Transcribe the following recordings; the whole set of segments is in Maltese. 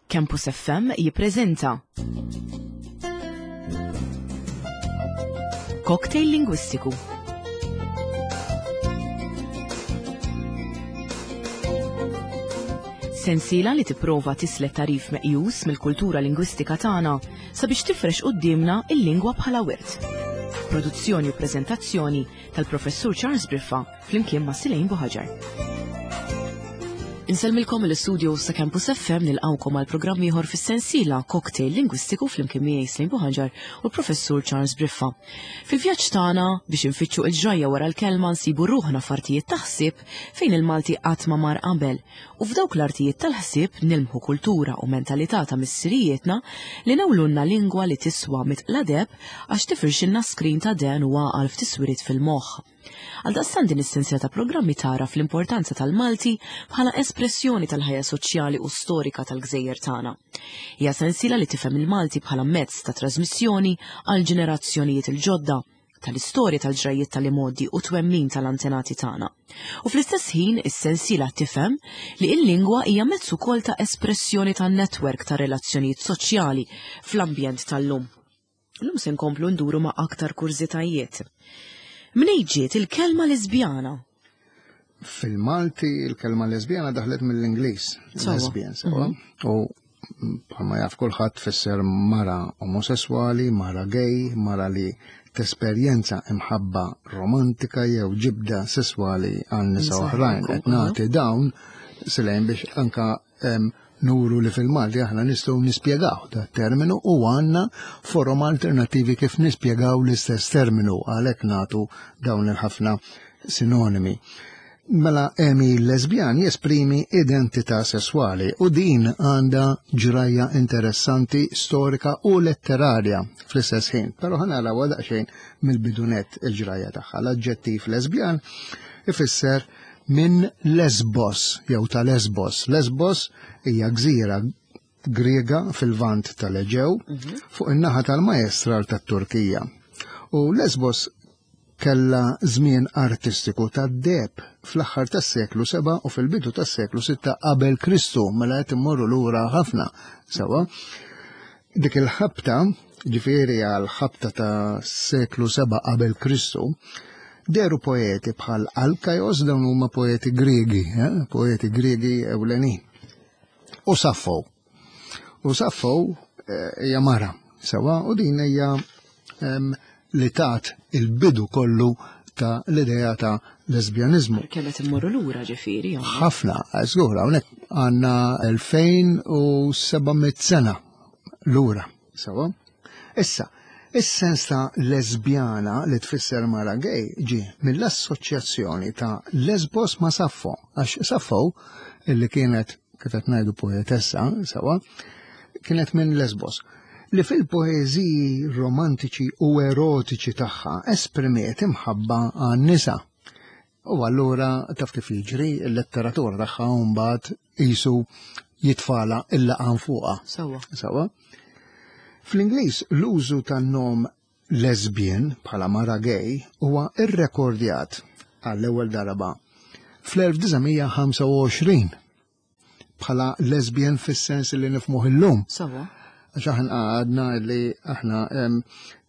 Campus FM jippreżenta Cocktail Lingwistiku. Sensiela li tipprova tislet tarif meqjus mill-kultura lingwistika tagħna sabiex tifrex quddiemna il-lingwa bħala wirt. Produzzjoni u preżentazzjoni tal-Professur Charles Briffa flimkien ma' Silejn Buħaġar. Insellmilkom l-istudio sa' Campus FM nilqawkom għal programm ieħor fis-sensiela Cocktail Lingwistiku flimkien miegħi Slejn Buħaġar u l-Professur Charles Briffa. Fil-vjaġġ tagħna biex infittxu il-ġrajja wara l-kelma nsibu ruħna f'artijiet ta' ħsieb fejn il-Malti qatt ma mar qabel u f'dawk l-artijiet tal-ħsieb nilmħu kultura u mentalità ta' missirijietna li newlunna lingwa li tiswa mitqla deheb għax tifirxilna skrin ta' dehen u għaqal f'tiswiriet fil-moħħ. Għaldaqstant din is-sensiela ta' programmi tagħraf l-importanza tal-Malti bħala espressjoni tal-ħajja soċjali u storika tal-gżejjer tagħna. Hija sensiela li tifhem il-Malti bħala mezz ta' trasmissjoni għal ġenerazzjonijiet il-ġodda tal-istorja tal-ġrajjiet tal-imgħoddi u twemmin tal-antenati tagħna. U fl-istess ħin is-sensiela tifhem li l-lingwa hija mezz ukoll ta' espressjoni tan-netwerk ta' relazzjonijiet soċjali fl-ambjent tal-lum. Illum se nkomplu nduru ma' aktar kurżitajiet. Mnej ġiet il-kelma lesbjana? Fil-Malti il-kelma lesbjana daħlet mill-Ingliż. Lesbian, sewa. Mhm. U bħalma jaf kulħadd tfisser mara omosessuali, mara gay, mara li tesperjenza imħabba romantika jew ġibda sesswali għal nisa oħrajn. Qed nagħti dawn silejn biex anka nuru li fil-Malti aħna nistgħu nispjegaw da terminu u għandna forom alternattivi kif nispjegaw l-istess terminu għalhekk nagħtu dawn il-ħafna sinonimi. Mela Emi lesbjan jesprimi identità sesswali u din għandha ġrajja interessanti, storika u letterarja fl-istess ħin. Però ħa naraw daqsxejn mill-bidunet il-ġrajja tagħha. L-aġġettiv lesbjan ifisser minn Lesbos jew ta' Lesbos. Lesbos hija gżira Griega fil-vant tal-Eġew mhm. fuq in-naħa tal-majestral tat-Turkija. U Lesbos kella żmien artistiku tad-deb fl-aħħar tas-seklu 7 u fil-bidu tas-seklu 6 qabel Kristu, mela qed immorru lura ħafna sewa. Dik il-ħabta, ġifieri għal ħabta ta' seklu 7 qabel Kristu, deru poeti bħal Alkajos dawn huma poeti Griegi, eh? poeti Griegi ewlenin. U Saffo. U Saffo eh, hija mara, sewa, u din hija li tat il-bidu kollu ta' l-idea ta' lesbjanizmu. Kemm qed immorru lura ġifieri. Ħafna, żgur, hawnhekk għandna 2700 sena lura, sewa. Issa, is-sens ta' lesbjana li tfisser mara gay ġie mill-assoċjazzjoni ta' Lesbos ma' Saffo, għax Saffo illi kienet kif qed ngħidu poetessa, sewa, kienet minn Lesbos li fil-poeżiji romantiċi u erotiċi tagħha esprimiet imħabba għan-nisa. U allura taf kif jiġri il-letteratura tagħha mbagħad qisu jitfala il-laqan fuqha. Sawa. Sawa. Fl-Ingliż l-użu tan-nom lesbian bħala mara gay huwa irrekordjat għall-ewwel darba fl-1925 bħala lesbian fis-sens li nifmuh illum. Sawa. Għax aħna għadna li aħna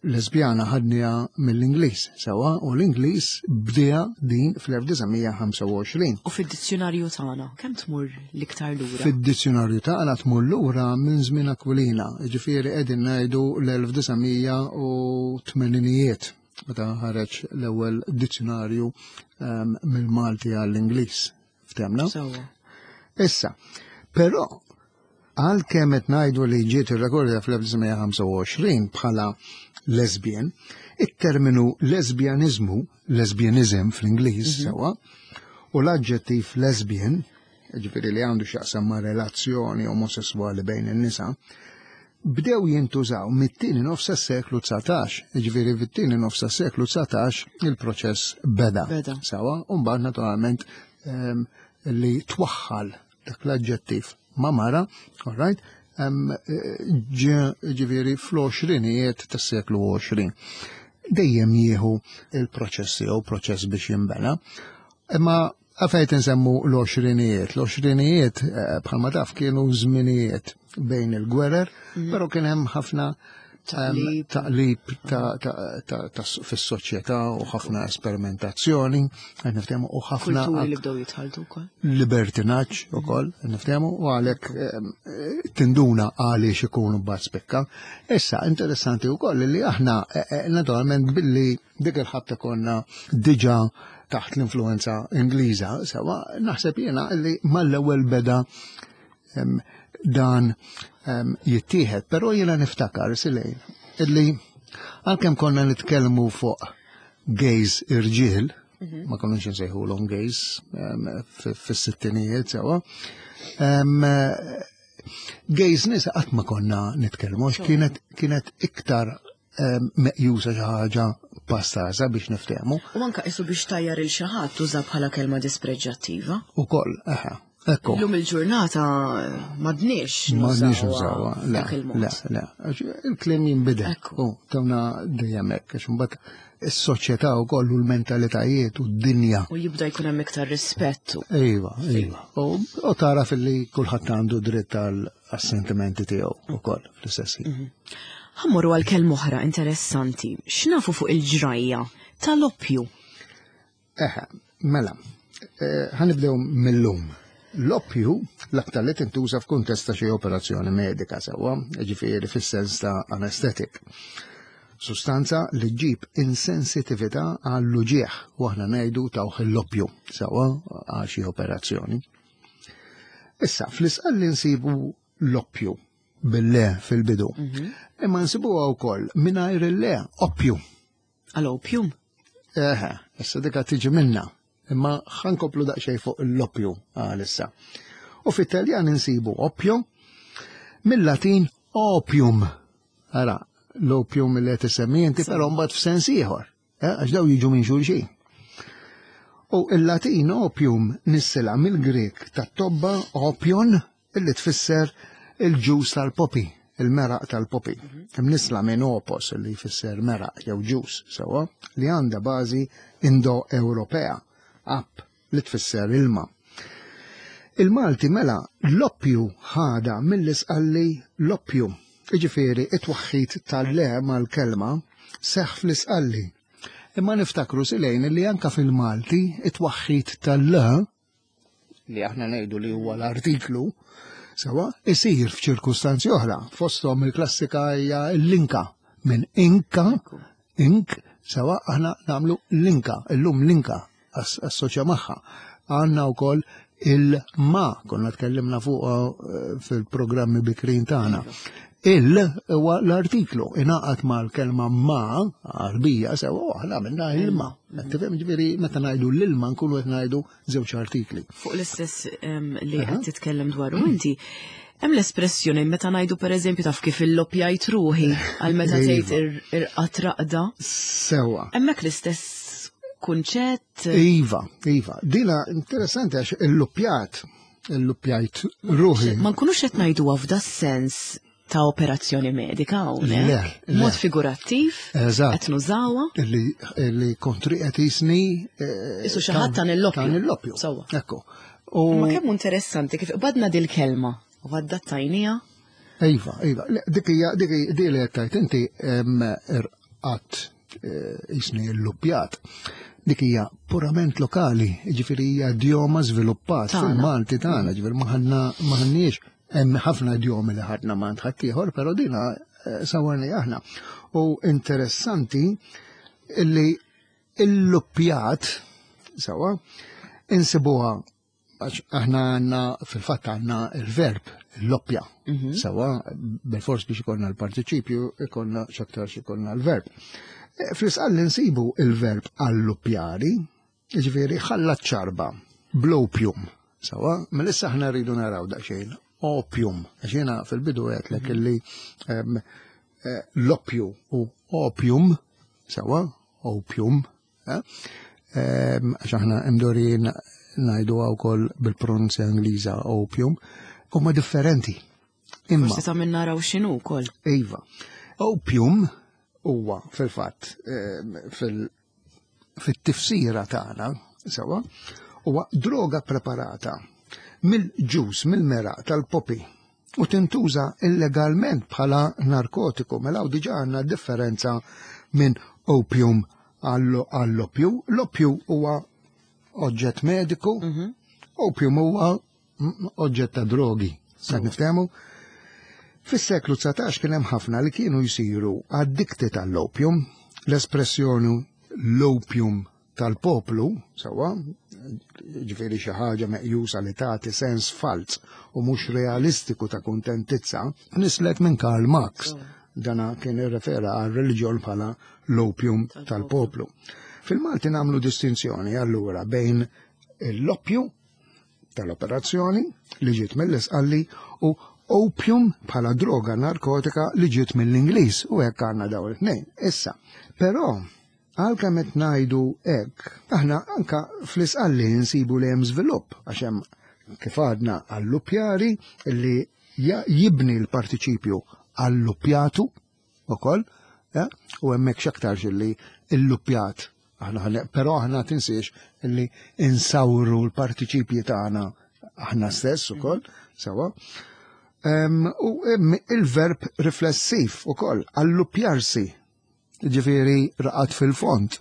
lesbjana ħadniha mill-Ingliż, sewa, u l-Ingliż bdieha din fl-1925. U fid-dizzjonarju tagħna kemm tmur l-iktar lura? Fid-dizzjonarju tagħna tmur lura minn żmien Aquilina, ġifieri qegħdin ngħidu l-1980ijiet meta ħareġ l-ewwel dizzjonarju mill-Malti għall-Ingliż. Ftemna? Issa, però għalkemm qed ngħidu li ġiet irrekordja fl-1925 bħala lesbian, it-terminu lesbjaniżmu, lesbianism fl-Ingliż mhm. sewa, u l-aġġettiv lesbian, ġifieri li għandu x'jaqsam ma' relazzjoni omosessuali bejn in-nisa, bdew jintużaw mit-tieni nofs tas-seklu 19, jiġifieri fit-tieni nofs tas-seklu 19 il-proċess beda. Beda. Sawa, u mbagħad naturalment ehm, li twaħħal dak l-aġġettiv ma' mara, all right, ehm, ġifieri fl-għoxrinijiet tas-seklu 20. Dejjem jieħu il-proċess jew proċess biex jinbena. Imma. Għafajt nsemmu l-għoxrinijiet. L-għoxrinijiet eh, bħalma taf kienu żminijiet bejn il-gwerer, mhm. però kien hemm ħafna taqlib fis-soċjetà u ħafna esperimentazzjoni, qed niftehmu u ħafna. Kulturi li bdew jitħaltu wkoll. Libertinaġġ ukoll, niftehmu u għalhekk tinduna għaliex ikunu mbagħad spikka. Issa interessanti wkoll li aħna eh, eh, naturalment billi dik il-ħabta konna diġà taħt l-influenza Ingliża, sewa naħseb jiena li mal-ewwel beda dan jittieħed, però jiena niftakar silejn illi għalkemm konna nitkellmu fuq gays irġiel, mhm. ma konniex nsejħulhom gays fis-sittinijiet sewa. Gays nisa qatt ma konna nitkellmu għax kienet kienet iktar meqjusa xi ħaġa pastaża biex niftehmu. U anka isu biex tajjar il xi ħadd tuża bħala kelma dispreġġattiva. Ukoll, eħe. Ekku. Illum il-ġurnata madniex. Madniex nużawha. Le, le, le. Il-kliem jinbidel. U tawna dejjem hekk, għax imbagħad is-soċjetà wkoll u l-mentalitajiet u d-dinja. U jibda jkun hemm iktar rispett. Iva, iva. U tara fil-li kulħadd għandu dritt għas-sentimenti tiegħu wkoll fl-istess ħin. Mhm. Ħammorru għal kelma oħra interessanti. X'nafu fuq il-ġrajja tal-oppju? Eħe, mela, eh, ħanibdew mill-lum. L-oppju l-aktar li tintuża f'kuntest ta' xi operazzjoni medika sewwa, ġifieri fis-sens ta' anesthetic. Sustanza li ġġib insensitività għall-uġieħ u aħna ngħidu tawh l-oppju sewwa għal xi operazzjoni. Issa, fl-isqalli nsibu l-oppju bil-le fil-bidu. Mhm. Imma nsibuha wkoll mingħajr il-le oppju. Għal opium? Eħe, issa dika tiġi minna. Imma ħankoplu daqsxejn fuq l-oppju għalissa. U fit-Taljan insibu oppju mill-Latin opium. Ara, l-opium li qed isemmi inti però mbagħad f'sens ieħor. Eh, għax daw jiġu minn xulxin. U il-Latin opium nissela mill-Grek tat-tobba opion illi tfisser il-ġus tal-popi, il-meraq tal-popi. Mhm. Imnisla minn opos li jfisser meraq jew ġus sewwa li għandha bażi Indo-Ewropea, ap li tfisser ilma. Il-Malti mela l-oppju ħada mill-Isqalli l-oppju. Jiġifieri it-twaħħid tal-le mal-kelma seħħ fl-Isqalli. Imma niftakru silejn li anka fil-Malti it-twaħħid tal-le li aħna ngħidu li huwa l-artiklu sewa isir f'ċirkustanzi oħra. Fosthom il-klassika hija l-linka minn inka, ink, sewa aħna nagħmlu linka, illum linka assoċja magħha. Għandna wkoll il-ma, konna tkellimna fuq eh, fil-programmi bikrin tagħna. Il huwa l-artiklu ingħaqad mal-kelma ma għarbija sewa aħna minna il-ma. Tifhem ġifieri meta ngħidu l-ilma nkunu qed ngħidu żewġ artikli. Fuq l-istess li qed titkellem dwaru inti, hemm l-espressjoni meta ngħidu pereżempju taf kif il-lopjajt ruħi għal meta iva. tgħid irqat raqda. Sewa. Hemmhekk l-istess kunċett. Iva, iva. Dina interessanti għax il-lupjat, il-lupjajt ruħi. Ma nkunux qed ngħiduha f'da sens ta' operazzjoni medika hawnhekk. Mod figurattiv. Eżatt. Qed nużawha. Li kontri qed jisni. Eh, Isu xi ħadd tan il-loppju. Tan il-loppju. Sewwa. Ekku. Ma kemm interessanti kif qbadna dil-kelma u għaddattajnija. Iva, iva. Dik hija dik li qed tgħid inti irqatt eh, jisni l-luppjat. Dik hija purament lokali, ġifieri hija idjoma żviluppat fil-Malti tagħna, ġifieri ma ħanniex Hemm ħafna idjomi li ħadna ma' ħaddieħor, però dina eh, sawarni aħna. U interessanti illi il-luppjat sewa insibuha għax aħna għandna fil-fatt għandna il-verb l-loppja. Mhm. Sewa bil-fors biex ikollna l-partiċipju ikollna x'aktarx ikollna l-verb. Eh, fl-isqalli nsibu il-verb alluppjari, Jiġifieri ħallat ċarba bl-opium. Sawa, mela issa aħna rridu naraw daqsxejn opium, għax jiena fil-bidu għedtlek mhm. illi eh, l-oppju u opium, sawa, opium, eh, għax aħna imdorin ngħidu wkoll bil-pronunzja Ingliża opium, huma differenti. Imma. Forsi ta' minn naraw x'inhu wkoll. Iva. Opium huwa fil-fatt fil fit-tifsira tagħna, sewa, Huwa droga preparata mill-ġus, mill-meraq tal-popi u tintuża illegalment bħala narkotiku. Mela hawn diġà għandna differenza minn opium għall-oppju. L-oppju huwa oġġett mediku, opium huwa oġġett ta' drogi. Sa niftehmu? Fis-seklu 19 kien hemm ħafna li kienu jsiru addicted għall-opium. L-espressjoni l-opium tal-poplu, sewwa, ġifieri xi ħaġa meqjusa li tagħti sens falz u mhux realistiku ta' kuntentizza, nislet minn Karl Marx. Dana kien irrefera għal reliġjon bħala l-opium tal-poplu. Fil-Malti nagħmlu distinzjoni allura bejn l-oppju tal-operazzjoni li ġiet mill-Isqalli u opium bħala droga narkotika li ġiet mill-Ingliż u hekk għandna dawn it-tnejn. Issa, però għalkemm qed ngħidu hekk, aħna anka fl-Isqalli nsibu li hemm żvilupp għax hemm kif għadna alluppjari li jibni l-partiċipju alluppjatu ukoll, u hemmhekk x'aktarx illi illuppjat aħna, però aħna tinsiex illi insawru l-partiċipji tagħna aħna stess ukoll, sewa. U il-verb riflessiv ukoll, alluppjarsi, ġifieri raqad fil-fond.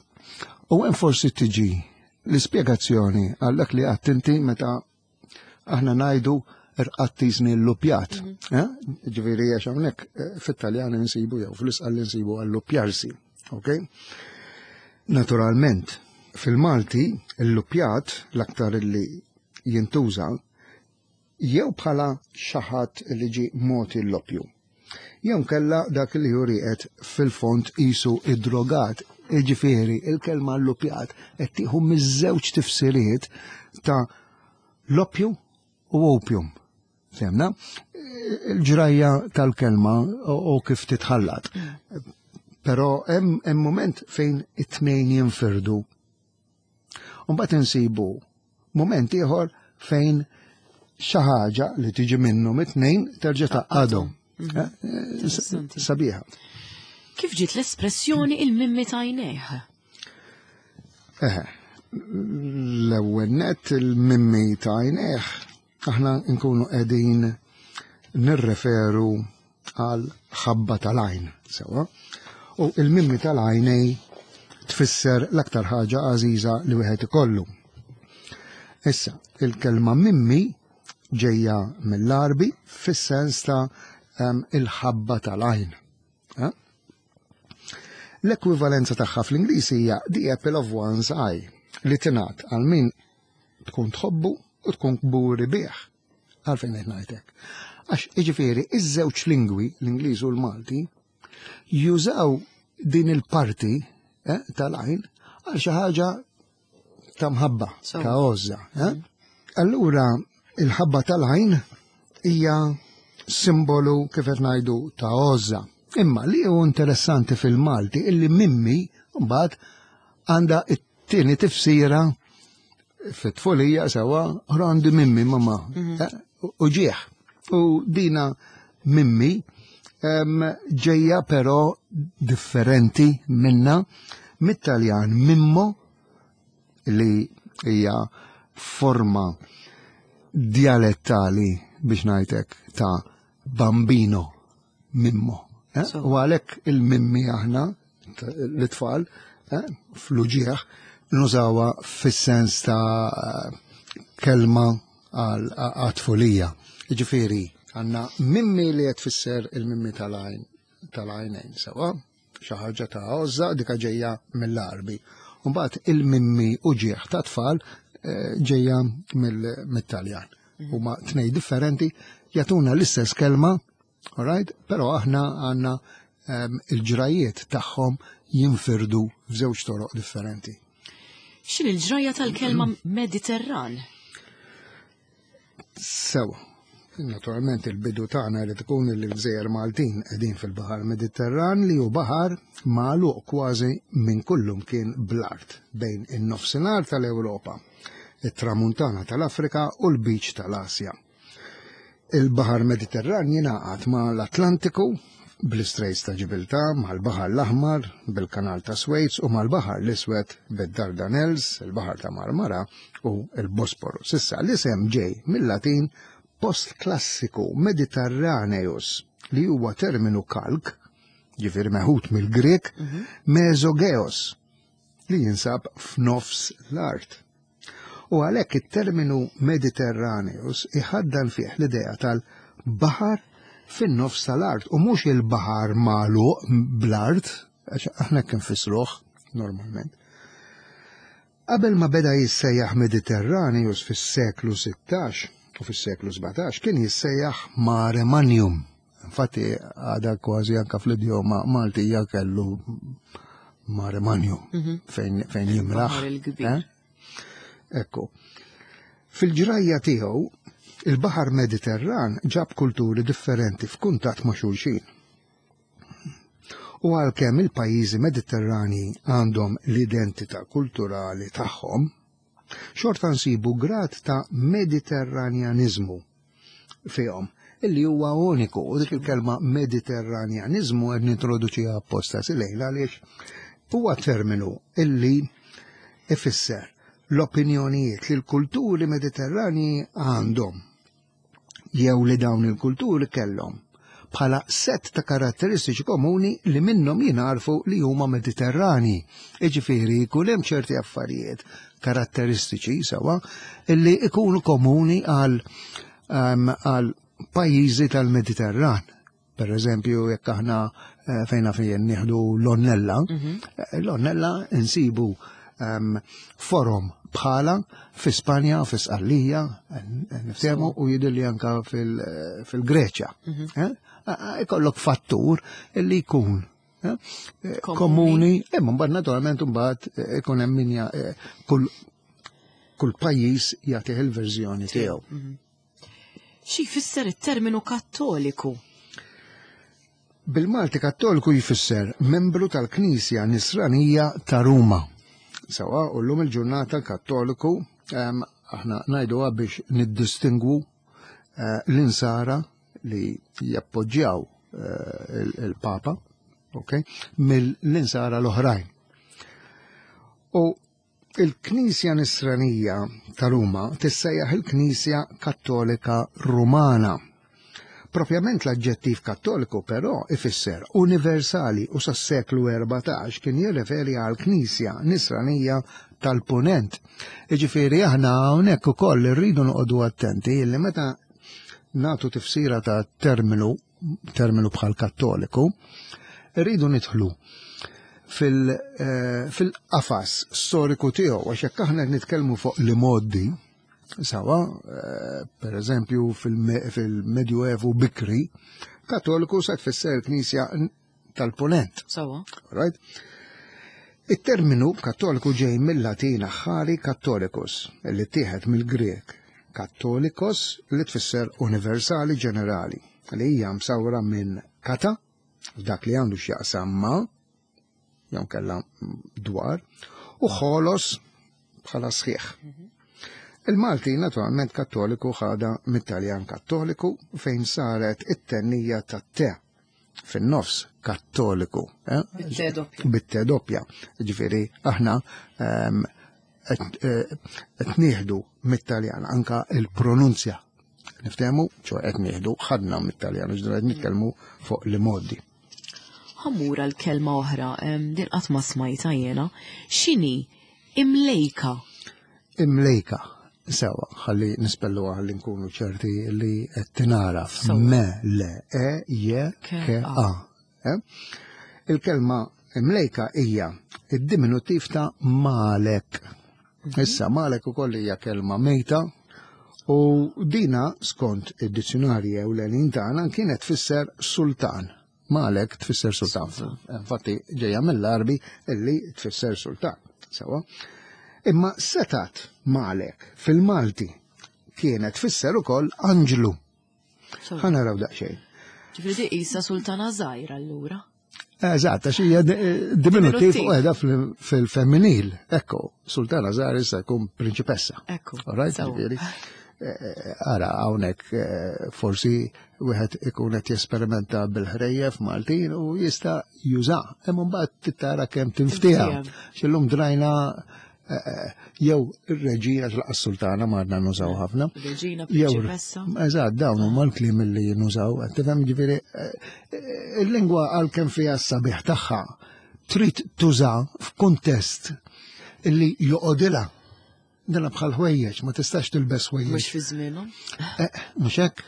U hemm forsi tiġi l-ispjegazzjoni għal dak li għadt inti meta aħna ngħidu rqattiżni l-lupjat. Eh? Ġifieri għax hawnhekk fit-Taljan insibu jew fl-Isqal insibu għall-lupjarsi. Ok? Naturalment, fil-Malti l-lupjat l-aktar li jintuża jew bħala xi ħadd li ġie mogħti l-loppju. Jew kella dak li hu rieqed fil-fond qisu id-drogat. Jiġifieri il-kelma l-lupjat qed tieħu miż-żewġ tifsiriet ta' loppju u opium. Fehmna? Il-ġrajja tal-kelma u kif titħallat. Però hemm moment fejn it-tnejn jinfirdu. U mbagħad insibu moment ieħor fejn xi ħaġa li tiġi minnhom it-tnejn terġa' taqgħadhom. Sabiħa. Kif ġiet l-espressjoni il-mimmi tajnejh? L-ewwel nett il-mimmi tajnejh aħna nkunu qegħdin nirreferu għal ħabba tal-għajn, sewa. U il-mimmi tal-għajnej tfisser l-aktar ħaġa għażiża li wieħed ikollu. Issa, il-kelma mimmi ġejja mill-Għarbi fis-sens ta' il-ħabba tal-għajn. Eh? L-ekwivalenza tagħha fl-Ingliż hija the apple of one's eye li tingħad għal min tkun tħobbu u tkun kburi bih. Għalfejn qed ngħidlek. Għax jiġifieri iż-żewġ lingwi, l-Ingliż u l-Malti, jużaw din il-parti eh, tal-għajn għal xi ħaġa ta' mħabba, ta' għożża. Eh? Allura il-ħabba tal-għajn hija simbolu kif qed ngħidu ta' għożża. Imma li hu interessanti fil-Malti illi mimmi mbagħad għandha it-tieni tifsira fit-tfulija sewa għandi mimmi mama mhm. eh, u ġieħ. U dina mimmi ġejja però differenti minna mit-Taljan mimmo li hija forma dialettali biex ngħidlek ta' bambino mimmo. Eh? U għalhekk il-mimmi aħna l-tfal eh, fl-uġieħ nużawha fis-sens ta' kelma għat-tfulija. Ġifieri, għandna mimmi li qed tfisser il-mimmi tal-għajn tal-għajnejn sewa, xi ħaġa ta' għożża dika ġejja mill-Għarbi. Mbagħad il-mimmi uġieħ ta' tfal eh, ġejja mill-Taljan. Huma tnej differenti jagħtuna l-istess kelma, alright, però aħna għandna ehm, il-ġrajiet tagħhom jinfirdu f'żewġ toroq differenti. X'in il-ġrajja tal-kelma Mediterran? Sewa. Naturalment il-bidu tagħna jrid ikun li l-gżejjer Maltin qegħdin fil-Baħar Mediterran li hu baħar magħluq kważi minn kullum kien bl-art bejn in-nofsinhar tal-Ewropa, it-tramuntana tal-Afrika u l-Lbiċ tal-Asja. Il-Baħar Mediterran jingħaqad ma' l-Atlantiku. bl-Istraits ta' Ġibiltà, mal-Baħar l-Aħmar, bil-Kanal ta' Swejz u mal-Baħar l-Iswed bid-Dardanelles, il-Baħar ta' Marmara u l-Bosporus. Issa l-isem ġej mill-Latin postklassiku Mediterraneus li huwa terminu kalk, ġifieri meħud mill-Grek, mesogeos, li jinsab f'nofs l-art. U għalhekk it-terminu Mediterraneus iħaddan fih l-idea tal-baħar fin-nofs tal-art u mhux il-baħar magħluq bl-art, għax aħna kien fissruh normalment. Qabel ma beda jissejjaħ Mediterraneus fis-seklu 16 u fis-seklu 17 kien jissejjaħ Mare Magnum. Infatti għada kważi anka fl-idjoma Maltija kellu Mare Magnum mhm. fejn, fejn jimraħ. Eh? Ekku. Fil-ġrajja tiegħu, il-Baħar Mediterran ġab kulturi differenti f'kuntatt ma' xulxin. U għalkemm il-pajjiżi Mediterrani għandhom l-identità kulturali tagħhom, xorta nsibu grad ta' Mediterranjaniżmu fihom illi huwa uniku u dik il-kelma Mediterranjaniżmu qed nintroduċiha apposta silejla għaliex huwa terminu illi ifisser l-opinjonijiet li l-kulturi Mediterranji għandhom jew li dawn il-kulturi kellhom bħala sett ta' karatteristiċi komuni li minnhom jingħarfu li huma Mediterrani. Iġifieri jkun hemm ċerti affarijiet karatteristiċi sewa illi ikunu komuni għal ehm, għal pajjiżi tal-Mediterran. Per eżempju, jekk aħna eh, fejna fejn nieħdu l-onnella, mhm. eh, l-onnella insibu ehm, forum bħala fi Spanja, fi Sqallija, niftehmu u jidhirli anka fil-Greċja. Mhm. Eh, ikollok fattur li jkun komuni, imma mbagħad naturalment mbagħad ikun hemm min kull kull pajjiż jagħtih il-verżjoni tiegħu. Mhm. Xi jfisser it-terminu Kattoliku? Bil-Malti Kattoliku jfisser membru tal-Knisja Nisranija ta' Ruma. Sawa, u llum il-ġurnata Kattoliku aħna ngħiduha biex niddistingwu eh, l-insara li jappoġġjaw eh, il-Papa, ok, mill-insara l-oħrajn. U Il-Knisja Nisranija ta' Ruma tissejjaħ il-Knisja Kattolika Rumana. Propjament l-aġġettiv Kattoliku però ifisser universali u sas-seklu 14 kien jirreferi għall-Knisja Nisranija tal-Punent. Jiġifieri aħna hawnhekk ukoll irridu noqogħdu attenti li meta nagħtu tifsira ta' terminu terminu bħal kattoliku, rridu nidħlu eh, fil-qafas storiku tiegħu għax jekk aħna qed nitkellmu fuq li moddi, sawa, eh, per eżempju fil-Medjuevu bikri, kattoliku sa tfisser il-Knisja tal-Punent. Sawa. Right? Il-terminu kattoliku ġej mill-Latin aħħari kattolicus, li tieħed mill-Grek kattolikos li tfisser universali ġenerali, li hija msawra minn kata, dak li għandu x'jaqsam ma, jew kella dwar, u ħolos bħala sħiħ. Il-Malti naturalment kattoliku ħada mit-Taljan kattoliku fejn saret it-tennija tat-te fin-nofs kattoliku. Eh? Bit-te doppja. Ġifieri aħna ehm, eh, qed nieħdu mit-Taljan anka il-pronunzja. Niftehmu, ċo qed nieħdu ħadna mit-Taljan, ġdra qed nitkellmu fuq li modi. Ħammura l-kelma oħra, ehm, din qatt ma smajta jiena, x'inhi Imlejka. Imlejka. Sewa, ħalli nispellu ħalli nkunu ċerti li qed tinaraf. Me, le, e, je, ke, a. Eh? Il-kelma imlejka hija id-diminutiv ta' malek. Mhm. Issa, malek ukoll hija kelma mejta u dina skont id-dizzjonarji ewlenin tagħna kienet tfisser sultan. Malek tfisser sultan. Infatti ġejja mill-Arbi illi tfisser sultan. Sewa. Imma setat Malek fil-Malti kienet tfisser ukoll anġlu. Ħa naraw daqsxejn. Ġifieri qisha sultana żgħira allura. Eżatt, għax hija diminutiv u qiegħda fil-femminil. Ekku, sultana żgħira issa jkun prinċipessa. Ekku. Right, ġifieri. Ara hawnhekk forsi wieħed ikun qed jesperimenta bil-ħrejjef Maltin u jista' juża. Imma mbagħad tara kemm tinftieha. X'illum drajna jew ir-reġina tlaqas sultana ma għadna nużaw ħafna. Reġina, prinċipessa. Eżatt, dawn huma l-kliem li nużaw. Tifhem ġifieri il-lingwa għalkemm fiha s-sabiħ tagħha trid tuża f'kuntest illi joqogħdilha. Dana bħal ħwejjeġ, ma tistax tilbes ħwejjeġ. Mhux fi żmienhom. Mhux hekk,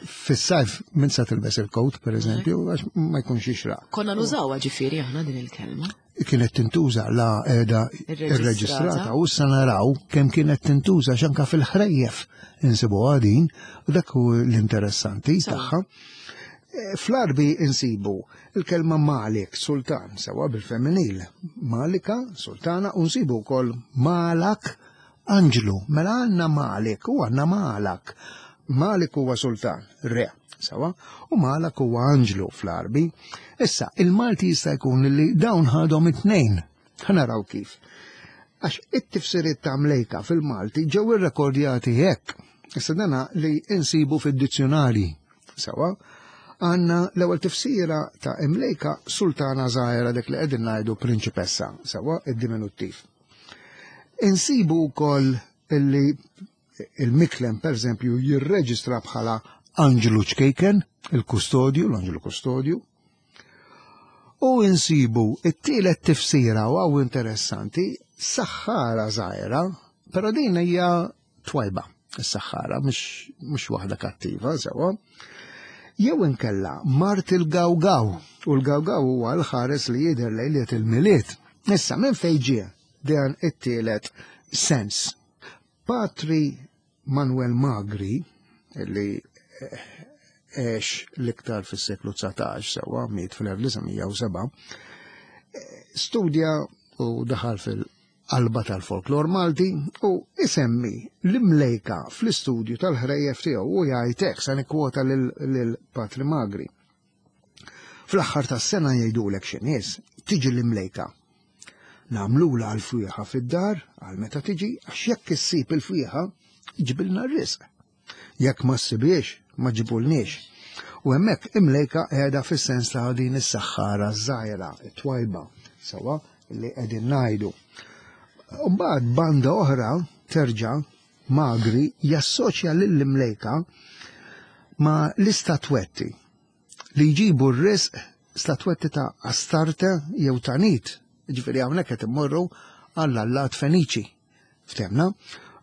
fis-sajf minn sa tilbes il-kowt, pereżempju, għax ma jkunx jixraq. Konna nużawha ġifieri aħna din il-kelma. Kienet tintuża la qiegħda irreġistrata u issa naraw kemm kienet tintuża x'anka fil-ħrejjef insibuha din u dak hu l-interessanti tagħha. Fl-Għarbi insibu il-kelma Malik, sultan, sewa bil-femminil, Malika, sultana, u nsibu wkoll Malak, anġlu. Mela għandna Malik u għandna Malak. Malik huwa sultan, re, sewa, u Malak huwa anġlu fl-Għarbi. Issa, il-Malti jista' jkun li dawn ħadhom it-tnejn. Ħa naraw kif. Għax it-tifsiriet ta' mlejka fil-Malti ġew irrekordjati hekk. Issa dana li insibu fid-dizzjonarji. Sewa, għandna l-ewwel tifsira ta' imlejka sultana żgħira dik li qegħdin ngħidu prinċipessa, sewa id-diminuttiv. Insibu wkoll illi il-Miklem pereżempju jirreġistra bħala Anġlu ċkejken, il-kustodju, l-anġlu kustodju. U insibu it-tielet tifsira u għaw interessanti, saħħara żgħira, però din hija twajba, is-saħħara, mhux waħda kattiva, sewa. Jew inkella mart il-gawgaw, u l-gawgaw huwa l-ħares li jidher lejliet il-Milied. Issa minn fejn ġie dan it-tielet sens? Patri Manuel Magri, li għex l-iktar fis-seklu 19, sewa miet fl-1907, studja u daħal fil-qalba tal-folklor Malti u isemmi l-imlejka fl-istudju tal-ħrejjef tiegħu u jgħid hekk sa nikkwota lil Patri Magri. Fl-aħħar tas-sena jgħidulek xi nies tiġi l-imlejka. Nagħmlula l-fwieħa fid-dar għal meta tiġi għax jekk issib il-fwieħa ġibilna r-risq. Jekk ma ssibiex, ma ġibulniex. U hemmhekk imlejka qiegħda fis-sens ta' din is-saħħara żgħira, it-twajba, sewwa li qegħdin ngħidu. Mbagħad banda oħra terġa' Magri jassoċja lill-imlejka ma' l-istatwetti li jġibu r-risq statwetti ta' Astarte jew ta' Nit, ġifieri hawnhekk qed immorru għall-allat Feniċi, ftemna,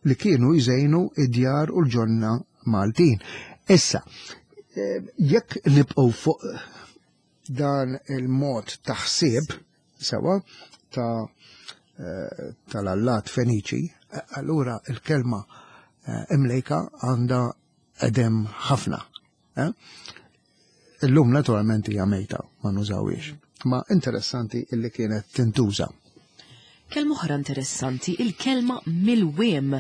li kienu jżejnu id-djar u l-ġonna Maltin. Issa, eh, jekk nibqgħu fuq dan il-mod ta' ħsieb sewa ta' eh, tal-allat Feniċi, eh, allura il-kelma imlejka għandha edem ħafna. Eh? Illum naturalment hija mejta ma nużawiex. Ma interessanti illi kienet tintuża. Kelma oħra interessanti, il-kelma milwiem.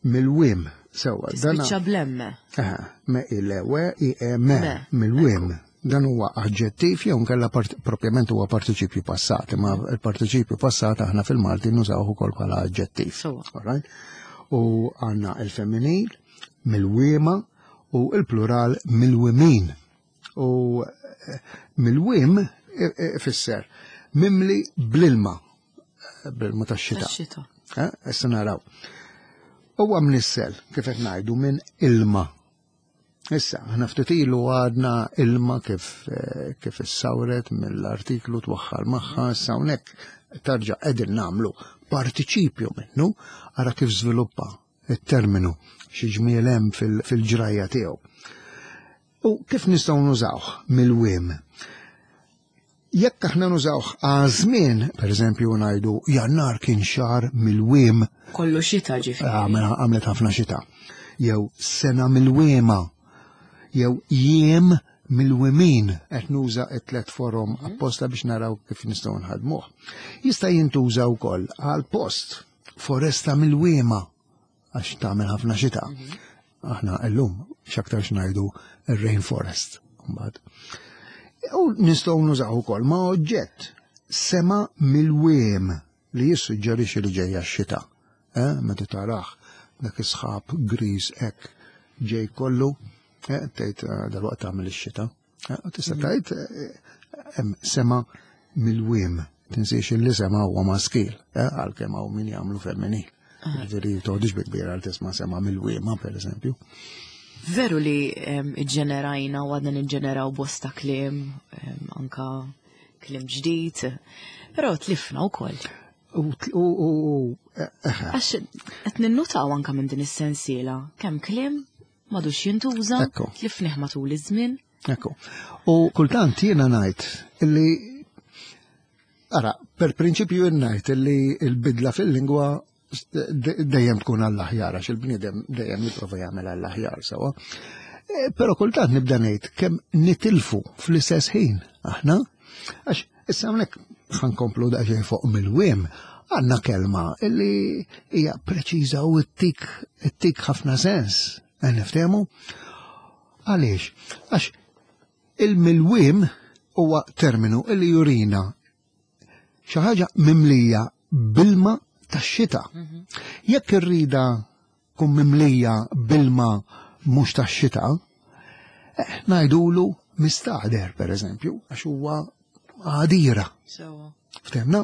Milwiem, sewa. Tispiċċa blemme. Aha, me il-we i e me, milwiem. Dan huwa aġġettiv jew nkella propjament huwa partiċipju passat, imma il-partiċipju passat aħna fil-Malti nużawh ukoll bħala aġġettiv. U għandna il-femminil, milwiema u il-plural milwimin. U eh, milwim ifisser mimli bl-ilma, eh, bl-ilma tax-xita. Eh, issa naraw. Huwa mnissel, kif qed ngħidu, minn ilma. Issa, aħna ftit ilu għadna ilma kif kif issawret mill-artiklu twaħħal magħha, issa hawnhekk tarġa' qegħdin nagħmlu partiċipju minnu, ara kif żviluppa it-terminu xi ġmiel hemm fil-ġrajja tiegħu. U kif nistgħu nużawh mill-wiem? Jekk aħna nużawh għaż-żmien, pereżempju ngħidu Jannar kien xahar mill-wiem. Kollu xita ġifieri. Għamlet ħafna xita. Jew sena mill-wiema. Jew jiem mill-wimin qed nuża t-tlet forom mhm. apposta biex naraw kif nistgħu nħadmuh. Jista' jintuża wkoll għal post foresta mill-wiema għax tagħmel ħafna xita. Mhm. Aħna llum x'aktar x'ngħidu ir-rainforest mbagħad. U nistgħu nużaw ukoll ma' oġġett sema mill-wiem li jissuġġerixxi li ġejja x-xita. Eh, meta taraħ dak is-sħab griż hekk ġej kollu, tgħid dalwaqt tagħmel ix-xita. Tista' tgħid hemm sema milwiem, tinsiex li sema huwa maskil, għalkemm hawn min jagħmlu femminil. Ġifieri toħdix bi kbira għal tisma' sema milwiema, pereżempju. Veru li iġġenerajna u għadna niġġeneraw bosta kliem, anka kliem ġdid, però tlifna wkoll. Għax qed ninnutaw anka minn din is-sensiela kemm kliem m'għadux jintuża, tlifnih matul iż-żmien. Ekku. U kultant jiena ngħid illi ara, per prinċipju jien ngħid illi l-bidla fil-lingwa dejjem tkun għall-aħjar, għax il-bniedem dejjem jipprova jagħmel għall-aħjar sewwa. Però kultant nibda ngħid kemm nitilfu fl-istess ħin aħna, għax issa hawnhekk ħankomplu daqsxejn fuq mill-wiem, għandna kelma illi hija preċiża u ttik ħafna sens, niftehmu. Għaliex? Għax il-milwiem huwa terminu illi jurina xi ħaġa mimlija bilma tax-xita. Jekk irrida tkun mimlija bilma mhux tax-xita, ngħidulu mistagħder, per eżempju, għax huwa għadira. Ftemna?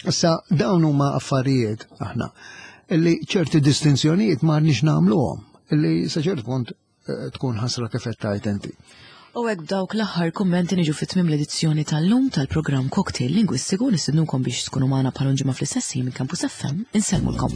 Issa dawn huma affarijiet aħna illi ċerti distinzjonijiet ma rniex nagħmluhom, illi sa ċert punt tkun ħasra kif qed tgħid inti. U hekk b'dawk l-aħħar kummenti niġu fi tmiem l-edizzjoni tal-lum tal-programm Cocktail Lingwistiku. Nistednukom biex tkunu magħna bħal ġimgħa fl-istess ħin minn Campus FM. Insellmulkom.